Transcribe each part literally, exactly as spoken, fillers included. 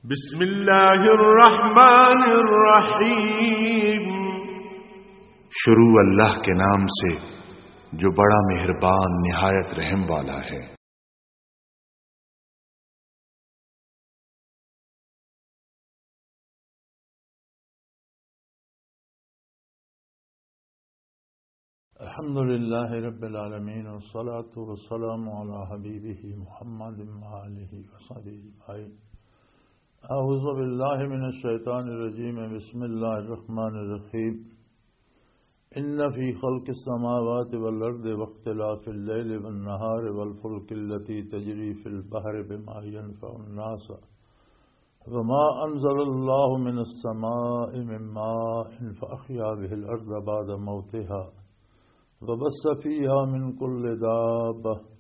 بسم اللہ الرحمن الرحیم۔ شروع اللہ کے نام سے جو بڑا مہربان نہایت رحم والا ہے۔ الحمد لله رب العالمين، والصلاة والسلام على حبيبه محمد وآله وصحبه أجمعين. أعوذ بالله من الشيطان الرجيم. بسم الله الرحمن الرحيم. إن في خلق السماوات والأرض واختلاف الليل والنهار والفلك التي تجري في البحر بما ينفع الناس وما أنزل الله من السماء من ماء فأحيا به الأرض بعد موتها وبث فيها من كل دابة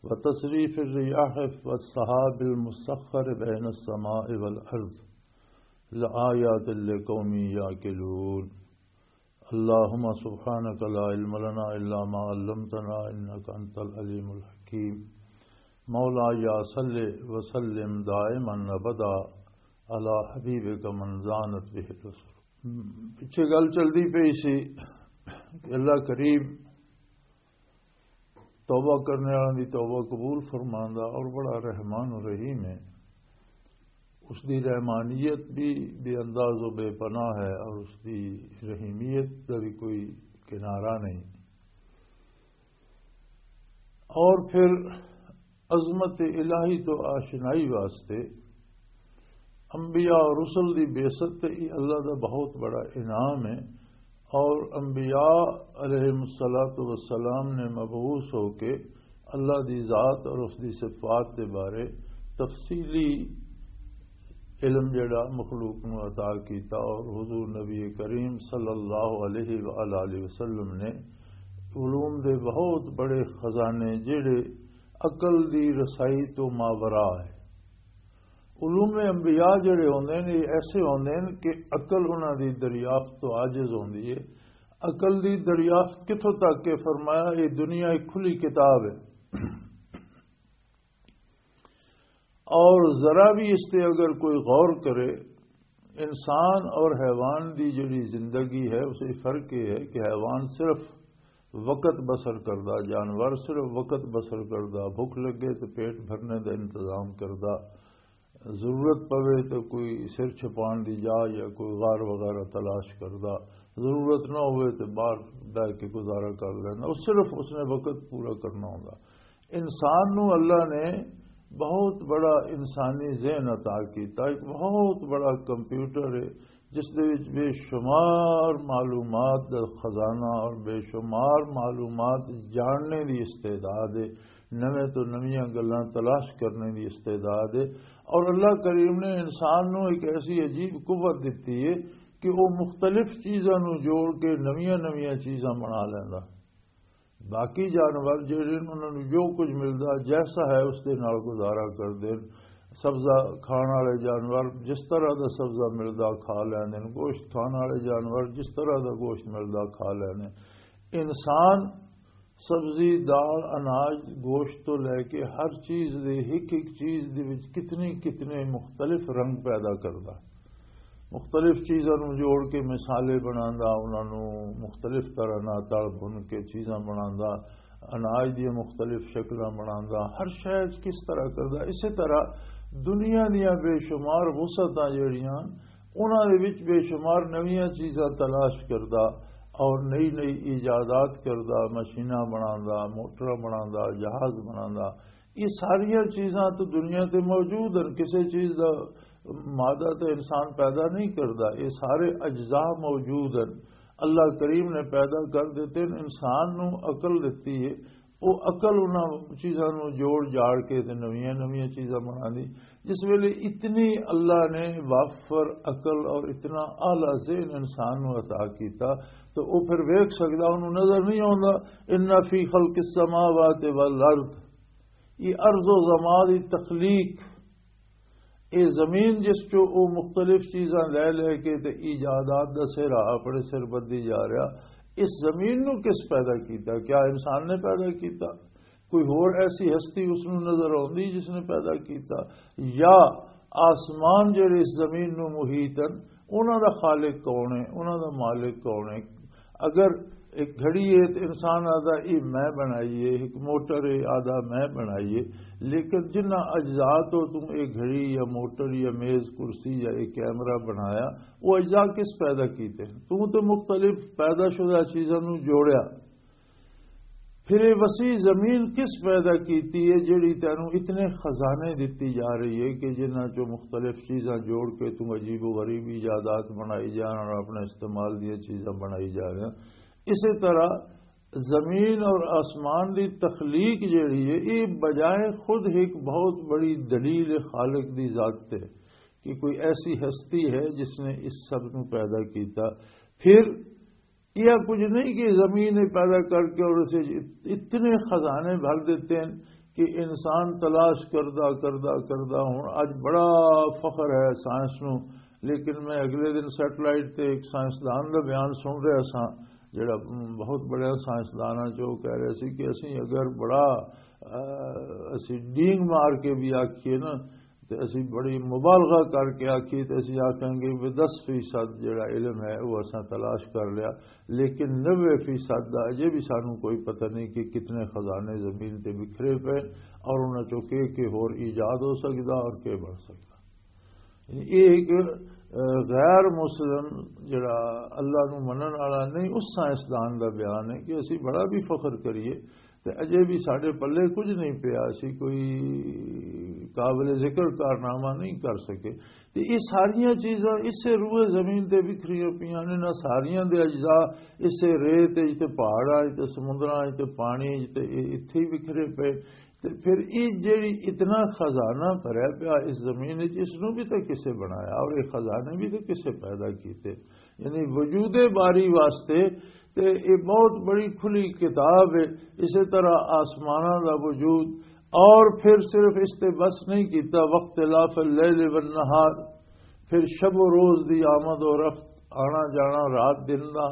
وتصريف الرياح والسحاب المسخر بين السماء والأرض لآيات لقوم يعقلون. اللهم سبحانك لا علم لنا إلا ما علمتنا إنك أنت العليم الحكيم. مولاي صل وسلم دائما أبدا على حبيبك من زانت به الرسل. پچھے گل چلدی پئی سی کہ اللہ کریم توبہ کرنے والوں دی توبہ قبول فرماندا اور بڑا رحمان و رحیم ہے۔ اس دی رحمانیت بھی بے انداز و بے پناہ ہے اور اس دی رحیمیت کا بھی کوئی کنارہ نہیں۔ اور پھر عظمت الہی تو آشنائی واسطے انبیاء اور رسل دی بعثت تے یہ اللہ دا بہت بڑا انعام ہے۔ اور انبیاء علیہ الصلوۃ والسلام نے مبعوث ہو کے اللہ دی ذات اور اس دی صفات دے بارے تفصیلی علم جڑا مخلوق نو عطا کیتا، اور حضور نبی کریم صلی اللہ علیہ وآلہ وسلم نے علوم دے بہت بڑے خزانے جڑے عقل دی رسائی تو ماورا ہے۔ علوم انبیاء جڑے ہوندے نے، یہ ایسے ہوندے نے کہ عقل انہاں دی دریافت تو عاجز ہوندی ہے۔ عقل دی دریافت کتھوں تک کہ فرمایا، یہ دنیا ایک کھلی کتاب ہے، اور ذرا بھی اس تے اگر کوئی غور کرے، انسان اور حیوان دی جڑی زندگی ہے، اسے فرق یہ ہے کہ حیوان صرف وقت بسر کردا، جانور صرف وقت بسر کردا، بھوک لگے تو پیٹ بھرنے دا انتظام کردا، ضرورت پوے تو کوئی سر چھپان دی جا یا کوئی غار وغیرہ تلاش کردا، ضرورت نہ ہوئے تو باہر بہ کے گزارا کر لینا۔ وہ صرف اس نے وقت پورا کرنا ہوندا۔ انسان نو اللہ نے بہت بڑا انسانی ذہن عطا کیتا، ایک بہت بڑا کمپیوٹر ہے جس دے وچ بے شمار معلومات دا خزانہ اور بے شمار معلومات جاننے دی استعداد ہے، نویں تو نویاں گلاں تلاش کرنے دی استعداد ہے۔ اور اللہ کریم نے انسان نو ایک ایسی عجیب قوت دتی ہے کہ وہ مختلف چیزاں نو جوڑ کے نویاں نویاں چیزاں بنا لیندا۔ باقی جانور جڑے نے، انہاں نوں جو کچھ ملدا، جیسا ہے، اس دے نال گزارا کردے نے۔ سبزہ کھان والے جانور جس طرح دا سبزہ ملدا، کھا لیندے نے۔ گوشت کھان والے جانور جس طرح دا گوشت ملدا، کھا لیندے نے۔ انسان سبزی، دال، اناج، گوشت تو لے کے ہر چیز دے، ہک ہک چیز دے وچ کتنی کتنے مختلف رنگ پیدا کردا۔ مختلف چیزاں نوں جوڑ کے مصالحے بناندا، انہاں نوں مختلف طرح نال تل بھن کے چیزاں بناندا، اناج دیاں مختلف شکلاں بناندا، ہر شے وچ کس طرح کردا۔ اسی طرح دنیا دیاں بے شمار وسعتاں جڑیاں، انہاں دے وچ بے شمار نویاں چیزاں تلاش کردا اور نئی نئی ایجادات کردا، مشیناں بناندا، موٹراں بناندا، جہاز بناندا۔ یہ ساریاں چیزاں تو دنیا تے موجود ہیں۔ کسے چیز دا مادہ تے انسان پیدا نہیں کردا، یہ سارے اجزاء موجود ہیں۔ اللہ کریم نے پیدا کر دیتے ہیں۔ انسان نو عقل دتی ہے، وہ عقل انہاں چیزاں نو جوڑ جاڑ کے تے نویاں نویاں چیزاں بنا دی۔ جس ویلے اتنی اللہ نے وافر عقل اور اتنا اعلیٰ ذہن انسان نو عطا کیتا، تو وہ پھر ویکھ سکدا، انہوں نظر نہیں آوندا۔ ان فی خلق السماوات والارض، یہ ارض و زمان دی تخلیق، یہ زمین جس چو وہ مختلف چیزاں لے لے کے تے ایجادات دا سہرا اپنے سر بدی جا رہا، اس زمین نو کس پیدا کیتا؟ کیا انسان نے پیدا کیتا؟ کوئی ہور ایسی ہستی اس نو نظر آندی جس نے پیدا کیتا؟ یا آسمان جڑے اس زمین نو محیط ہیں، انہاں دا خالق کون ہے؟ انہاں دا مالک کون ہے؟ اگر ایک گھڑی ہے تو انسان آدھا، یہ میں بنائی ہے، ایک موٹر ہے، آدھا میں بنائی ہے۔ لیکن جنہ اجزاء تو تم ایک گھڑی یا موٹر یا میز کرسی یا ایک کیمرہ بنایا، وہ اجزاء کس پیدا کیتے ہیں؟ تم تو مختلف پیدا شدہ چیزاں نو جوڑیا۔ پھر یہ وسیع زمین کس پیدا کیتی ہے، جڑی تینوں اتنے خزانے دتی جا رہی ہے کہ جنہاں چوں مختلف چیزاں جوڑ کے تم عجیب و غریب ایجادات بنائی جان اور اپنے استعمال دیاں چیزاں بنائی جا رہے ہیں؟ اسی طرح زمین اور آسمان دی تخلیق جڑی ہے، یہ بجائے خود ایک بہت بڑی دلیل خالق دی ذات تے کہ کوئی ایسی ہستی ہے جس نے اس سب کو پیدا کیتا۔ پھر یہ کچھ نہیں کہ زمین پیدا کر کے اور اسے اتنے خزانے بھر دیتے ہیں کہ انسان تلاش کردہ کردہ کردہ، ہن اج بڑا فخر ہے سائنس نو۔ لیکن میں اگلے دن سیٹلائٹ تے ایک سائنسدان دا بیان سن رہا سا، جڑا بہت بڑا سائنسدان ہے، جو کہہ رہے سی کہ اسی اگر بڑا، آ، اسی ڈینگ مار کے بھی آکھیے نا، تے اسی بڑی مبالغہ کر کے آکھیے تے اسی آکھیں گے کہ دس فیصد جڑا علم ہے وہ اساں تلاش کر لیا، لیکن نوے فیصد دا اجے بھی سانوں کوئی پتہ نہیں کہ کتنے خزانے زمین تے بکھرے پے اور انہاں چوں کے کے ہور ایجاد ہو سکدا اور کے بن سکدا۔ یہ ایک، آ، غیر مسلم جڑا اللہ نو منن والا نہیں، اس سائنسدان دا بیان ہے کہ اسی بڑا بھی فخر کریے تے اجے بھی ساڈے پلے کچھ نہیں پیا، اسی کوئی قابل ذکر کارنامہ نہیں کر سکے۔ تے یہ ساریاں چیزاں اسے روئے زمین تے بکھریاں پیاں نے، نہ ساریاں دے اجزاء اسے ریت وچ تے پہاڑاں وچ تے سمندراں وچ تے پانی وچ تے اے اتھے ہی بکھرے پے۔ تے پھر یہ جڑی اتنا خزانہ بھریا پیا اس زمین وچ، اس نو بھی تے کسے بنایا اور یہ خزانے بھی تے کسے پیدا کیتے؟ یعنی وجود باری واسطے تے یہ بہت بڑی کھلی کتاب ہے۔ اسی طرح آسماناں دا وجود، اور پھر صرف اس تے بس نہیں کیتا، واختلاف اللیل والنہار، پھر شب و روز دی آمد و رفت، آنا جانا رات دن دا،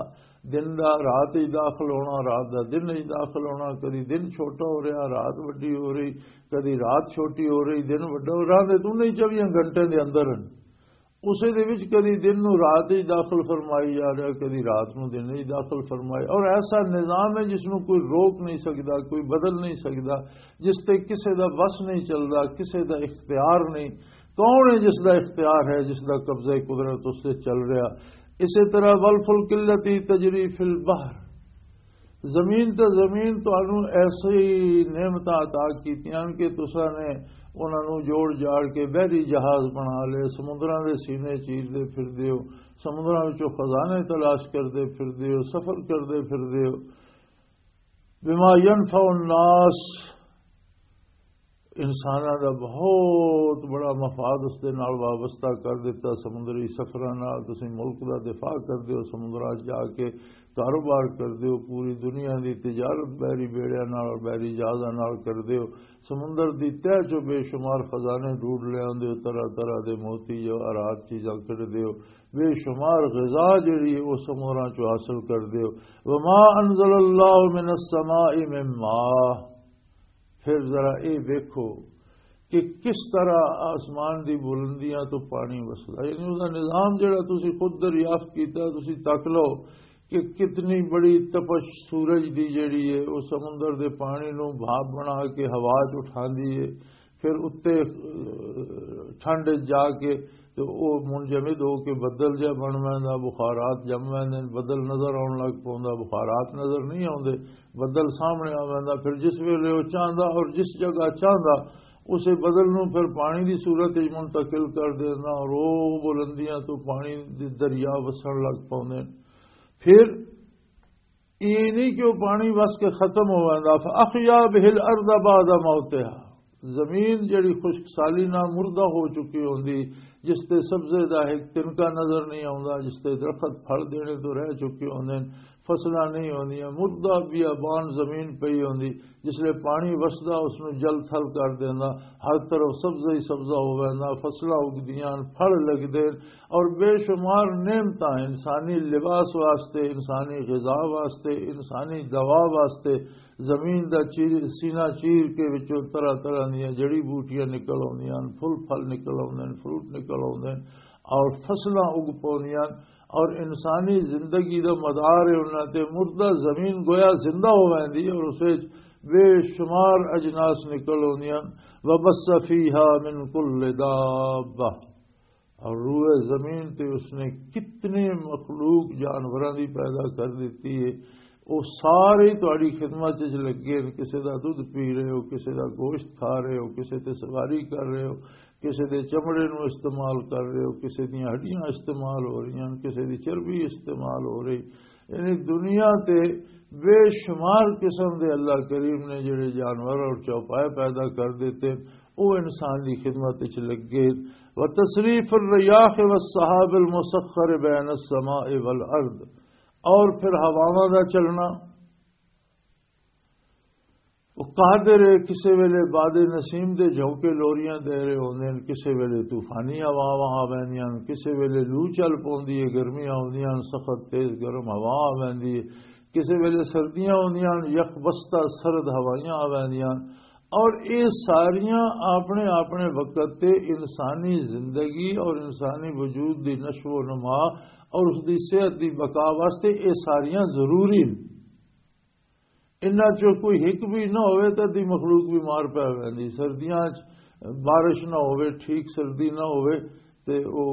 دن دا رات ہی داخل ہونا، رات دا دن ہی داخل ہونا، کدی دن چھوٹا ہو رہا، رات وڈی ہو رہی، کدی رات چھوٹی ہو رہی، دن وڈا ہو رہا، تے توں نہیں چوبیاں گھنٹے دے اندر ہیں۔ اسے دے وچ کدی دن نو رات وچ داخل فرمائی جا رہا، کدی رات نو دن وچ داخل فرمائی، اور ایسا نظام ہے جس نو کوئی روک نہیں سکدا، کوئی بدل نہیں سکدا، جس تے کسے دا وس نہیں چلدا، کسے دا اختیار نہیں۔ کون ہے جس دا اختیار ہے، جس دا قبضہ قدرت اس تے چل رہا؟ اسی طرح والفلک التی تجری فی البحر، زمین تے زمین تانوں ایسی نعمتاں عطا کیتیاں کہ تساں نے انہاں نوں جوڑ جاڑ کے بحری جہاز بنا لے، سمندراں دے سینے چیردے پھردے ہو، سمندراں وچوں خزانے تلاش کردے پھردے ہو، سفر کردے پھردے ہو۔ بما ينفع الناس، انساناں دا بہت بڑا مفاد اس دے نال وابستہ کر دتا۔ سمندری سفراں نال تسی ملک دا دفاع کردے ہو، سمندراں 'چ جا کے کاروبار کردے ہو، پوری دنیا دی تجارت بحری بیڑیاں نال اور بحری جہازاں نال کردے ہو، سمندر دی تہہ چوں بے شمار خزانے ڈھونڈ لے آندے ہو، طرح طرح دے موتی جواہرات چیزاں کڈدے ہو، بے شمار غذا جڑی ہے وہ سمندراں چوں حاصل کردے ہو۔ وما انزل اللہ من السماء من ماء، پھر ذرا اے ویکھو کہ کس طرح آسمان دی بلندیاں تو پانی وسدا، یعنی اس دا نظام جڑا تسی خود دریافت کیتا، تسی تک لو کہ کتنی بڑی تپش سورج دی جڑی ہے، وہ سمندر دے پانی نو بھاپ بنا کے ہوا چ اٹھاندی ہے، پھر اتے، اہ، ٹھنڈ وچ جا کے تے او منجمد ہو کے بدل جا بن ویندا، بخارات جم ویندے نے، بدل نظر آن لگ پوندا، بخارات نظر نہیں آوندے، بدل سامنے آ ویندا۔ پھر جس ویلے او چاہندا اور جس جگہ چاہندا، اسے بدل نوں پھر پانی دی صورت وچ منتقل کر دیندا اور او بلندیاں تو پانی دے دریا وسن لگ پوندے۔ پھر یہ نہیں کہ وہ پانی وس کے ختم ہو ویندا۔ فَأَحْيَا بِهِ الْأَرْضَ بَعْدَ مَوْتِهَا، زمین جڑی خشک سالی نال مردہ ہو چکی ہوندی، جس تے سبزے دا ایک تنکا نظر نہیں آوندا، جس تے درخت پھل دینے تو رہ چکے ہوندے نے، فصلاں نہیں ہوندیاں، مردہ بیابان زمین پئی ہوندی۔ جس لے پانی وسدا، اس نوں جل تھل کر دیندا، ہر طرف سبزہ ہی سبزہ ہو ویندا، فصلاں اگدیاں، پھل لگدے، اور بے شمار نعمتاں انسانی لباس واسطے، انسانی غذا واسطے، انسانی دوا واسطے، زمین دا چیر، سینہ چیر کے وچوں طرح طرح دیاں جڑی بوٹیاں نکل آوندیاں، پھل پھل نکل آوندے، فروٹ نکل آوندے، اور فصلاں اگ پوندیاں، اور انسانی زندگی دا مدار ہے انہاں تے۔ مردہ زمین گویا زندہ ہو ویندی ہے، اور اس وچ بے شمار اجناس نکل آوندیاں۔ وبث فیہا من کل دابہ، اور روئے زمین تے اس نے کتنے مخلوق جانوراں دی پیدا کر دتی ہے۔ وہ سارے تہاڈی خدمت وچ لگے نے، کسے دا دودھ پی رہے ہو، کسے دا گوشت کھا رہے ہو، کسے تے سواری کر رہے ہو، کسے دے چمڑے نو استعمال کر رہے ہو، کسے دیاں ہڈیاں استعمال ہو رہی ہیں، کسے دی چربی استعمال ہو رہی۔ یعنی دنیا تے بے شمار قسم دے اللہ کریم نے جڑے جانور اور چوپائے پیدا کر دیتے، وہ انسان دی خدمت وچ لگے۔ وتصریف الریاح والسحاب المسخر بین السماء والارض، اور پھر ہواواں دا چلنا، وہ قادر ہے۔ کسے ویلے باد نسیم دے جھونکے لوریاں دے رہے ہوندے ہن، کسے ویلے طوفانی ہواواں آ ویندیاں ہن، کسے ویلے لو چل پوندی ہے، گرمیاں آوندیاں ہن، سخت تیز گرم ہوا آ ویندی ہے، کسے ویلے سردیاں ہوندیاں ہن، یخ بستہ سرد ہوائیاں آ ویندیاں ہن۔ اور یہ ساریاں اپنے اپنے وقت تے انسانی زندگی اور انسانی وجود دی نشو و نما اور اس دی صحت دی بقا واسطے یہ ساریاں ضروری ہیں۔ انہاں چوں کوئی ہک بھی نہ ہوئے تے دی مخلوق بیمار پے ویندی۔ سردیاں چ بارش نہ ہوئے، ٹھیک سردی نہ ہوئے تے او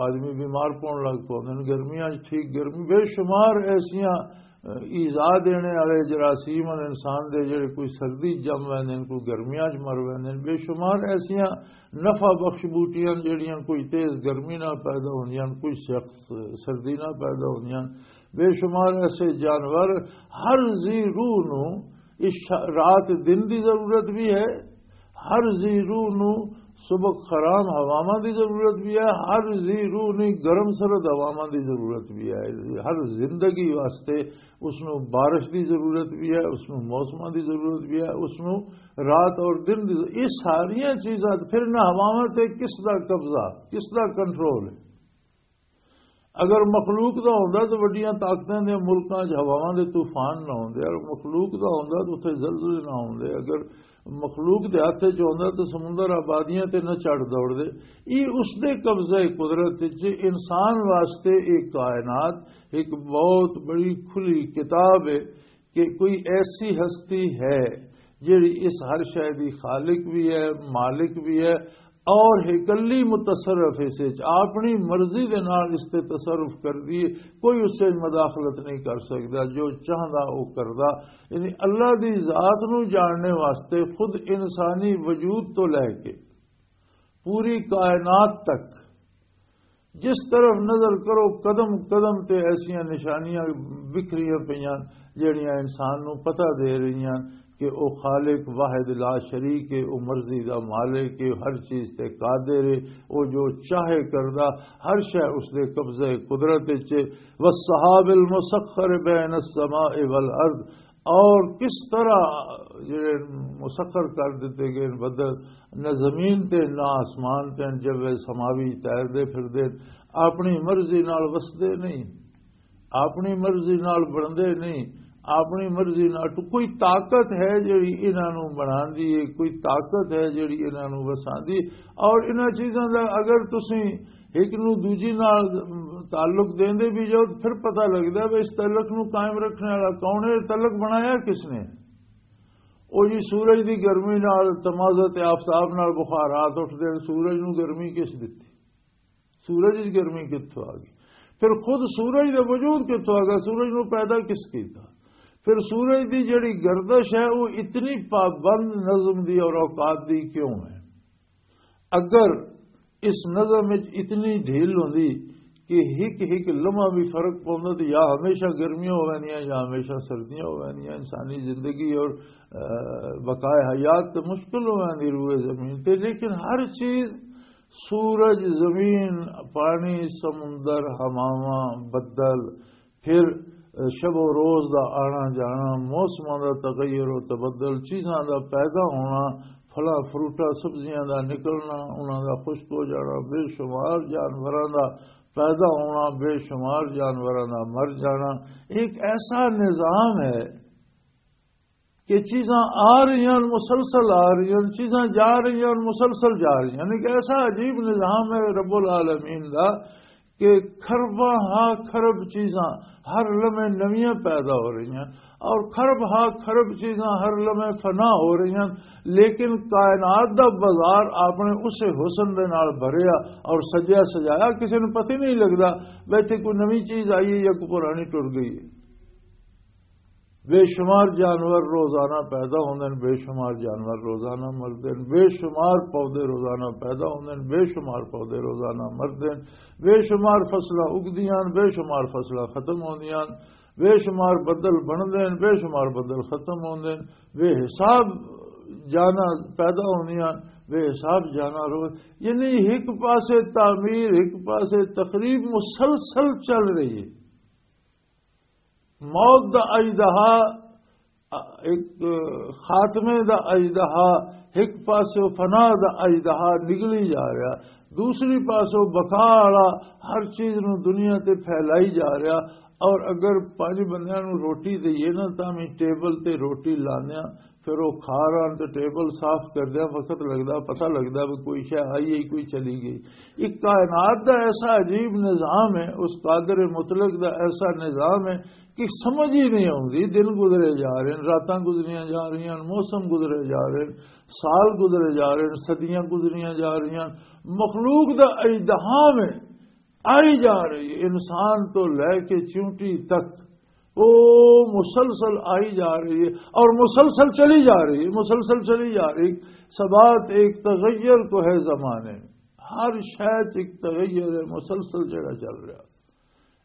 آدمی بیمار پون لگ پوندے نے۔ گرمیاں چ ٹھیک گرمی، بے شمار ایسیاں، اہ، ایذا دینے والے جراثیم ہن انسان دے، جڑے کوئی سردی چ جم ویندے نے، کوئی گرمیاں چ مر ویندے نے۔ بے شمار ایسیاں نفع بخش بوٹیاں جڑیاں کوئی تیز گرمی نال پیدا ہوندیاں، کوئی سخت سردی نال پیدا ہوندیاں۔ بے شمار ایسے جانور، ہر ذی روح نو اس ش-، رات دن دی ضرورت بھی ہے، ہر ذی روح نو سبک خرام ہواواں دی ضرورت بھی ہے، ہر ذی روح نو گرم سرد ہواواں دی ضرورت بھی ہے۔ ہر زندگی واسطے اس نو بارش دی ضرورت بھی ہے، اس نو موسماں دی ضرورت بھی ہے، اس نو رات اور دن دی۔ یہ ساریاں چیزاں، پھر نہ ہواواں تے کس دا قبضہ، کس دا کنٹرول ہے؟ اگر مخلوق دا ہوندا تو وڈیاں طاقتاں دے ملکاں 'چ ہواواں دے طوفان نہ ہوندے، اگر مخلوق دا ہوندا تو اتھے زلزلے نہ ہوندے، اگر مخلوق دے ہاتھ 'چ ہوندا تو سمندر آبادیاں تے نہ چڑھ دوڑدے۔ یہ اس دے قبضہ قدرت 'چ۔ انسان واسطے ایک کائنات ایک بہت بڑی کھلی کتاب ہے کہ کوئی ایسی ہستی ہے جڑی اس ہر شے دی خالق بھی ہے، مالک بھی ہے، اور اکلی متصرف اس وچ اپنی مرضی دے نال اس تے تصرف کر دیے، کوئی اس وچ مداخلت نہیں کر سکدا، جو چاہندا او کردا۔ یعنی اللہ دی ذات نو جاننے واسطے خود انسانی وجود تو لے کے پوری کائنات تک جس طرف نظر کرو، قدم قدم تے ایسیاں نشانیاں بکھریاں پیاں، جڑیاں انسان نو پتہ دے رہیاں کہ او خالق واحد لا شریک ہے، او مرضی دا مالک ہے، ہر چیز تے قادر ہے، او جو چاہے کردا، ہر شے اس دے قبضہ قدرت وچ ہے۔ والسحاب المسخر بین السماء والارض، اور کس طرح جڑے مسخر کر دیتے گئے بدل، نہ زمین تے نہ آسمان تے، جب سماوی تیردے پھردے، اپنی مرضی نال وسدے نہیں، اپنی مرضی نال بندے نہیں، اپنی مرضی نال تو کوئی طاقت ہے جڑی انہاں نوں بناندی ہے، کوئی طاقت ہے جڑی انہاں نوں وساندی۔ اور انہاں چیزاں دا اگر تسی ایک نوں دوجی نال تعلق دیندے بھی جاؤ، تو پھر پتہ لگدا ہے اس تعلق نوں قائم رکھنے والا کون ہے، تعلق بنایا کس نے؟ او جی سورج دی گرمی نال تمازت آفتاب نال بخارات اٹھدے، سورج نوں گرمی کس دتی؟ سورج دی گرمی کتھوں آ گئی؟ پھر خود سورج دا وجود کتھوں آ گیا؟ سورج نوں پیدا کس کیتا؟ پھر سورج دی جڑی گردش ہے، وہ اتنی پابند نظم دی اور اوقات دی کیوں ہے؟ اگر اس نظم وچ اتنی ڈھیل ہوندی کہ ہک ہک لمحہ بھی فرق پوندا، تے یا ہمیشہ گرمیاں ہو ویندیاں یا ہمیشہ سردیاں ہو ویندیاں، انسانی زندگی اور، آ، بقائے حیات تے مشکل ہو ویندی روئے زمین تے۔ لیکن ہر چیز، سورج، زمین، پانی، سمندر، ہواواں، بدل، پھر شب و روز دا آنا جانا، موسماں دا تغیر و تبدل، چیزاں دا پیدا ہونا، پھلاں فروٹاں سبزیاں دا نکلنا، انہاں دا خشک ہو جانا، بے شمار جانوراں دا پیدا ہونا، بے شمار جانوراں دا مر جانا، ایک ایسا نظام ہے کہ چیزاں آ رہی ہیں، مسلسل آ رہی ہیں، چیزاں جا رہی ہیں، مسلسل جا رہی ہیں۔ یعنی کہ ایسا عجیب نظام ہے رب العالمین دا کہ کھرباں ہا کھرب چیزاں ہر لمحے نویاں پیدا ہو رہی ہیں اور کھرب ہا کھرب چیزاں ہر لمحے فنا ہو رہی ہیں، لیکن کائنات دا بازار اپنے اسے حسن دے نال بھریا اور سجیا سجایا، کسی نوں پتہ ہی نہیں لگدا بھئی اتھے کوئی نویں چیز آئی ہے یا کوئی پرانی ٹر گئی ہے۔ بے شمار جانور روزانہ پیدا ہوندے نے، بے شمار جانور روزانہ مردے نے، بے شمار پودے روزانہ پیدا ہوندے نے، بے شمار پودے روزانہ مردے نے، بے شمار فصلاں اگدیاں نے، بے شمار فصلاں ختم ہوندیاں نے، بے شمار بدل بندے نے، بے شمار بدل ختم ہوندے نے، بے حساب جانا پیدا ہوندیاں نے، بے حساب جانا رو، یعنی ایک پاسے تعمیر، ایک پاسے تخریب مسلسل چل رہی ہے۔ موت دا اژدہا، ایک خاتمے دا اژدہا، ایک پاسے فنا دا اژدہا نگلی جا رہا، دوسری پاسے بقا والا ہر چیز نو دنیا تے پھیلائی جا رہا۔ اور اگر پنج بندیاں نو روٹی دئیے نا، تاں میں ٹیبل تے روٹی لانے آ، پھر وہ کھا رہا تے ٹیبل صاف کردیا وقت لگدا، پتہ لگدا بھی کوئی شے آئی ہے، کوئی چلی گئی۔ ایک کائنات دا ایسا عجیب نظام ہے، اس قادر مطلق دا ایسا نظام ہے کہ سمجھ ہی نہیں آتی۔ دن گزرے جا رہے ہیں، راتاں گزریاں جا رہی ہیں، موسم گزرے جا رہے ہیں، سال گزرے جا رہے ہیں، صدیاں گزریاں جا رہی ہیں۔ مخلوق دا اجدہام ہے، آئی جا رہی ہے، انسان تو لے کے چونٹی تک، وہ مسلسل آئی جا رہی ہے اور مسلسل چلی جا رہی ہے، مسلسل چلی جا رہی۔ سبات ایک تغیر تو ہے زمانے میں، ہر شے چ ایک تغیر ہے، مسلسل جڑا چل رہا۔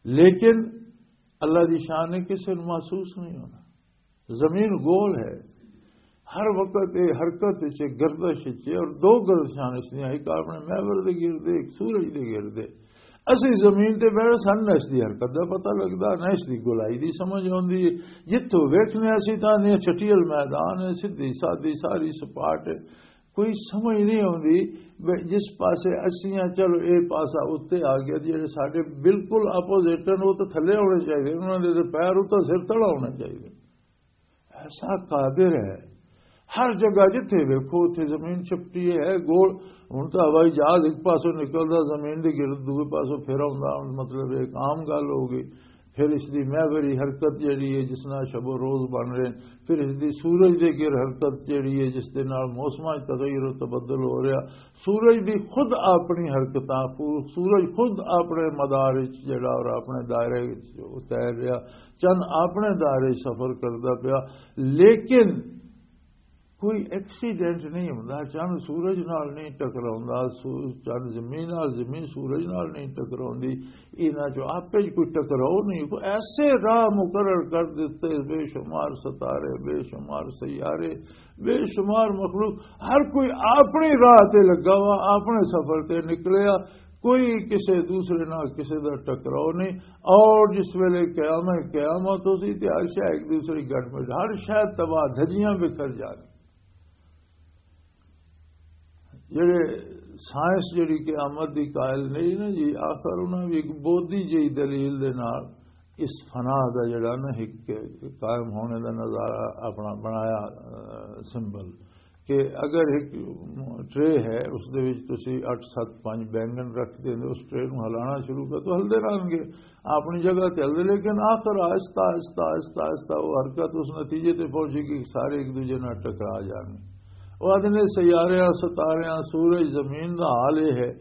لیکن اللہ دی شان ہے، کسی نوں محسوس نہیں ہونا۔ زمین گول ہے، ہر وقت یہ حرکت وچ ہے، گردش وچ ہے، اور دو گردشاں اس دیاں، ایک اپنے محور دے گردے، ایک سورج دے گردے۔ اسی زمین تے بیٹھے سن، نہ اس دی حرکت دا پتہ لگدا، نہ اس دی گولائی دی سمجھ آندی ہے۔ جتھوں ویکھنے اسی تاں نے چھٹیل میدان ہے، سیدھی سادی ساری سپاٹ ہے۔ کوئی سمجھ نہیں آندی، بے-، جس پاسے اسیاں، چلو اے پاسا اُتے آ گیا، جڑے ساڈے بالکل اپوزٹ ہن، وہ تو تھلے ہونے چاہیے، انہاں دے تے پیر اُتے سر تلا ہونا چاہیے۔ ایسا قادر ہے، ہر جگہ جتھے ویکھو اتھے زمین چپٹی ہے، گول۔ ہن تاں ہوائی جہاز ایک پاسوں نکلدا، زمین دے گرد دوے پاسوں پھر آوندا، ہن مطلب ایک عام گل ہو گئی۔ پھر اس دی محوری حرکت جڑی ہے، جس نال شب و روز بن رہے ہیں، پھر اس دی سورج دے گر حرکت جڑی ہے، جس دے نال موسماں 'چ تغیر و تبدل ہو رہا۔ سورج دی خود اپنی حرکتاں، خو-، سورج خود اپنے مدار وچ جڑا اور اپنے دائرے وچ تیر رہا، چند اپنے دائرے وچ سفر کردا پیا، لیکن کوئی ایکسیڈنٹ نہیں ہوندا، چند سورج نال نہیں ٹکراوندا، سو-، چند زمین نال، زمین سورج نال نہیں ٹکراوندی، انہاں چوں آپے 'چ کوئی ٹکراؤ نہیں۔ کوئی ایسے راہ مقرر کر دتے، بے شمار ستارے، بے شمار سیارے، بے شمار مخلوق، ہر کوئی اپنی راہ تے لگا وا، اپنے سفر تے نکلیا، کوئی کسے دوسرے نال کسے دا ٹکراؤ نہیں۔ اور جس ویلے قیامت، قیامت ہو سی تے ہر شے ایک دوسرے گٹ مٹ، ہر شے تباہ دھجیاں بکھر جانی۔ جڑے سائنس جڑی قیامت دی قائل نہیں نا جی، آخر انہاں بھی ایک بودھی جئی دلیل دے نال اس فنا دا جڑا نا ایک قائم ہونے دا نظارہ اپنا بنایا، آ، سمبل کہ اگر ایک ٹرے ہے، اس دے وچ تسی اٹھ ست پنج بینگن رکھ دیں، اس ٹرے نوں ہلانا شروع کر تو ہلدے رہن گے۔ اپنی جگہ تے ہلدے، لیکن آخر آہستہ، آہستہ، آہستہ، آہستہ وہ حرکت اس نتیجے تے پہنچے گی کہ سارے ایک دوجے نال ٹکرا جان گے۔ وہ آدھے نے سیاریاں، ستاریاں، سورج، زمین دا حال یہ ہے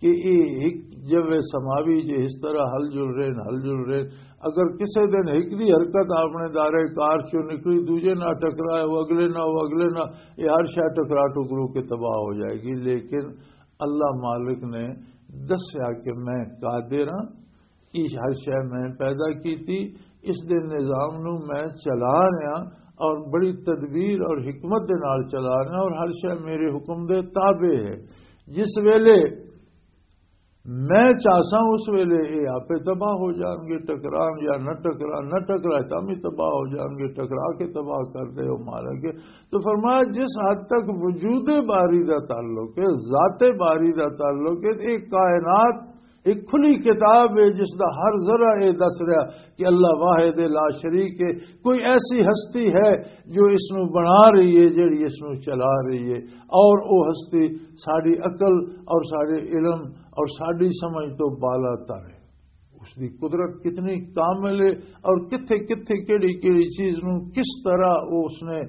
کہ یہ ایک جو سماوی جے اس طرح ہل جل رہے ہیں، ہل جل رہے ہیں۔ اگر کسے دن ایک دی حرکت اپنے دائرے کار چوں نکلی، دوجے نال ٹکرائے، وہ اگلے نال، وہ اگلے نال، یہ ہر شے ٹکرا ٹکرو کے تباہ ہو جائے گی۔ لیکن اللہ مالک نے دسیا کہ میں قادر ہاں، اس ہر شے میں پیدا کیتی، اس دے نظام نو میں چلا رہا اور بڑی تدبیر اور حکمت دے نال چلا رہا اور ہر شے میرے حکم دے تابع ہے۔ جس ویلے میں چاہساں اس ویلے یہ آپے تباہ ہو جان گے، ٹکران یا نہ ٹکران، نہ ٹکرائے تاں بھی تباہ ہو جان گے، ٹکرا کے تباہ کر دے وہ مارا گے۔ تو فرمایا، جس حد تک وجود باری دا تعلق ہے، ذات باری دا تعلق ہے، ایک کائنات ایک کھلی کتاب ہے، جس دا ہر ذرہ یہ دس رہا کہ اللہ واحد لا شریک ہے۔ کوئی ایسی ہستی ہے جو اس نو بنا رہی ہے، جڑی اس نو چلا رہی ہے، اور وہ ہستی ساری عقل اور سارے علم اور ساری سمجھ تو بالا تر ہے۔ اس دی قدرت کتنی کامل ہے، اور کتھے کتھے کیڑی کیڑی چیز نو کس طرح وہ اس نے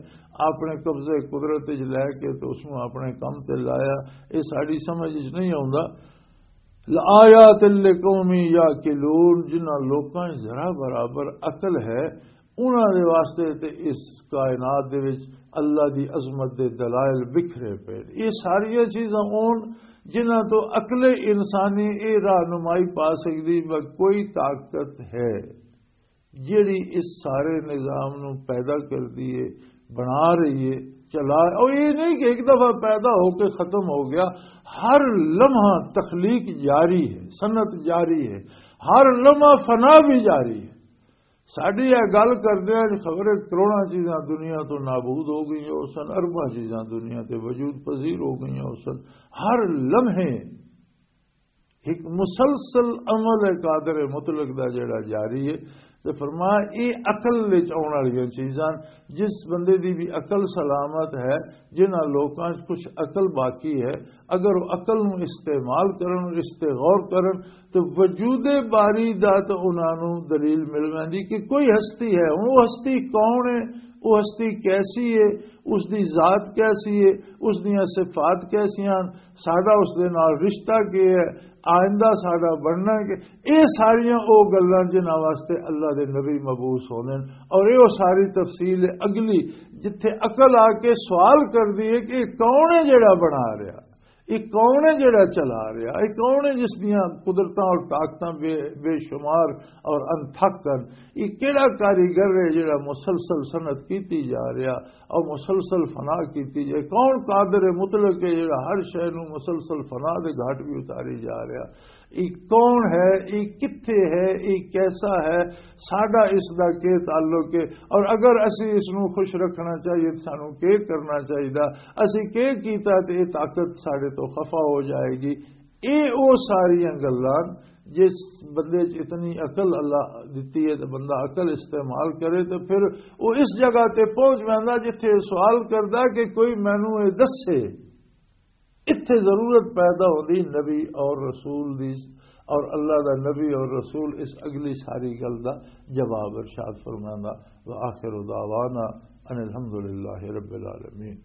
اپنے قبضے قدرت وچ لے کے تو اس نو اپنے کم تے لایا، یہ ساری سمجھ وچ نہیں آوندا۔ لآیات لقوم یعقلون، جنہاں لوکاں وچ ذرا برابر عقل ہے، انہاں دے واسطے تے اس کائنات دے وچ اللہ دی عظمت دے دلائل بکھرے پے۔ یہ ساریاں چیزاں ہون جنہاں تو عقل انسانی یہ رہنمائی پا سکدی، میں کوئی طاقت ہے جیڑی اس سارے نظام نو پیدا کر دیے، بنا رہی ہے، چلا، اور یہ نہیں کہ ایک دفعہ پیدا ہو کے ختم ہو گیا۔ ہر لمحہ تخلیق جاری ہے، صنعت جاری ہے، ہر لمحہ فنا بھی جاری ہے۔ ساڈی یہ گل کردے ہیں، خبریں کروڑاں چیزاں دنیا تو نابود ہو گئیاں ہو سن، ارباں چیزاں دنیا تے وجود پذیر ہو گئیاں ہو سن۔ ہر لمحے ایک مسلسل عمل ہے قادر مطلق دا جڑا جاری ہے۔ تے فرمایا، یہ عقل وچ آن والیاں چیزاں، جس بندے دی بھی عقل سلامت ہے، جنہاں لوکاں وچ کچھ عقل باقی ہے، اگر وہ عقل نو استعمال کرن، اس تے غور کرن، تو وجود باری دا تو انہاں نو دلیل مل ویندی کہ کوئی ہستی ہے۔ ہن وہ ہستی کون ہے، وہ ہستی کیسی ہے، اس دی ذات کیسی ہے، اس دیاں صفات کیسیاں ہن، ساڈا اس دے نال رشتہ کی ہے، آئندہ ساڈا بننا کہ، یہ ساریاں او گلاں جنہاں واسطے اللہ دے نبی مبعوث ہوندے نے۔ اور یہ ساری تفصیل اگلی، جتھے عقل آ کے سوال کردی ہے کہ یہ کون ہے جڑا بنا رہا، یہ کون ہے جڑا چلا رہا، یہ کون ہے جس دیاں قدرتاں اور طاقتاں بے، بے شمار اور انتھک ہن، یہ کیڑا کاریگر ہے جڑا مسلسل صنعت کیتی جا رہا اور مسلسل فنا کیتی جائے؟ کون قادر مطلق ہے جڑا ہر شے نو مسلسل فنا دے گھاٹ بھی اتاری جا رہا؟ یہ کون ہے؟ یہ کتھے ہے؟ یہ کیسا ہے؟ ساڈا اس دا کی تعلق ہے؟ اور اگر اسی اس نو خوش رکھنا چاہیے تو سانو کی کرنا چاہیے؟ اسی کی کیتا تے یہ طاقت ساڈے تو خفا ہو جائے گی؟ یہ وہ ساریاں گلاں، جس بندے چ اتنی عقل اللہ دتی ہے تو بندہ عقل استعمال کرے تو پھر وہ اس جگہ تے پہنچ ویندا جتھے سوال کردا کہ کوئی مینوں یہ دسے۔ اتھے ضرورت پیدا ہوندی نبی اور رسول دی، اور اللہ دا نبی اور رسول اس اگلی ساری گل دا جواب ارشاد فرماندا۔ وآخر دعوانا ان الحمدللہ رب العالمین۔